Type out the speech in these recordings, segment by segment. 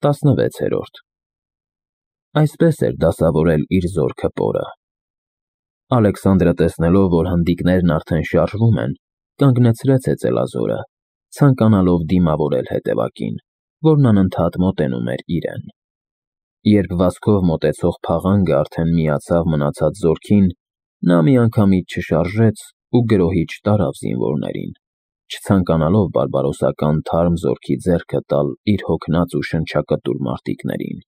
16-րդ Այսպես էր դասավորել իր զորքը պորը։ Ալեքսանդրը տեսնելով, որ հնդիկներն արդեն շարժվում են, կանգնեցրեց հեծելազորը, ցանկանալով դիմավորել հետևակին, որն անընդհատ մոտենում էր իրեն։ Երբ վազքով մոտեցող փաղանգը արդեն միացավ մնացած զորքին, նա միանգամից չշարժեց ու գրոհի չտարավ զինվորներին, չցանկանալով բարբարոսական թարմ զորքի ձեռքը տալ իր հոգնած ու շնչակտուր մարտիկներին։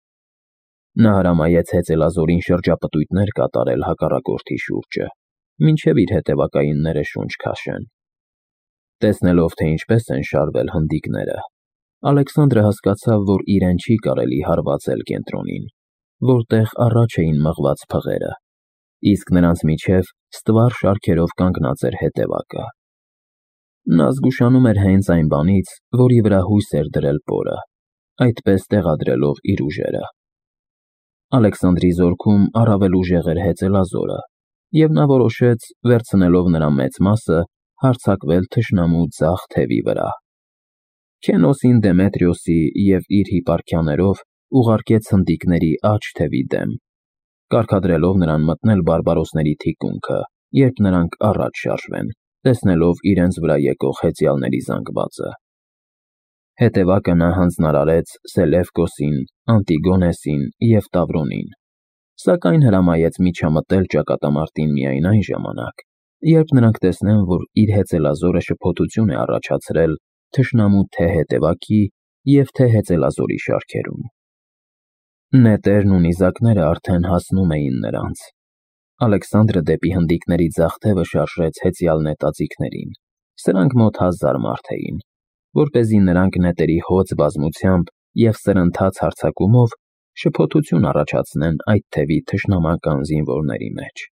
Նա հրամայեց հեծելազորին շրջապտույտներ կատարել հակառակորդի շուրջը, մինչև իր հետևակայինները շունչ քաշեն։ Տեսնելով, թե ինչպես են շարվել հնդիկները, Ալեքսանդրը հասկացավ, որ իրեն չի կարելի հարվածել կենտրոնին, որտեղ առաջ էին մղված փղերը, իսկ նրանց միջև ստվար շարքերով կանգնած էր հետևակը։ Նա զգուշանում էր հենց այն բանից, որի վրա հույս էր դրել պորը, այդպես տեղադրելով իր ուժերը։ Ալեքսանդրի զորքում առավել ուժեղ էր հեծելազորը, և նա որոշեց, վերցնելով նրա մեծ մասը, հարձակվել թշնամու ձախ թևի վրա։ Քենոսին Դեմետրիոսի և իր հիպարքիաներով ուղարկեց հնդիկների աջ թևի դեմ, կարգադրելով նրան մտնել բարբարոսների թիկունքը, երբ նրանք առաջ շարժվեն, տեսնելով իրենց վրա եկող հեծյալների զանգվածը։ Հետևակը նա հանձնարարեց Սելևկոսին, Անտիգոնեսին և Տավրոնին, սակայն հրամայեց միջամտել ճակատամարտին միայն այն ժամանակ, երբ նրանք տեսնեն, որ իր հեծելազորը շփոթություն է առաջացրել թշնամու թե հետևակի և թե հեծելազորի շարքերում։ Նետերն ու նիզակները արդեն հասնում էին նրանց։ Ալեքսանդրը դեպի հնդիկների ձախ թևը շարժեց հեծյալ նետաձիգներին, սրանք մոտ 1000 մարդ էին, որպեսզի նրանք նետերի հոծ բազմությամբ և սրընթաց հարձակումով շփոթություն առաջացնեն այդ թևի թշնամական զինվորների մեջ։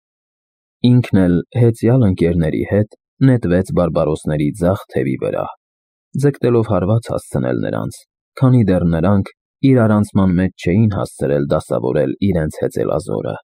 Ինքն էլ հեծյալ ընկերների հետ նետվեց բարբարոսների ձախ թևի վրա, ձգտելով հարված հասցնել նրանց, քանի դեռ նրանք իրարանցման մեջ չէին հասցրել դասավորել իրենց հեծելազորը։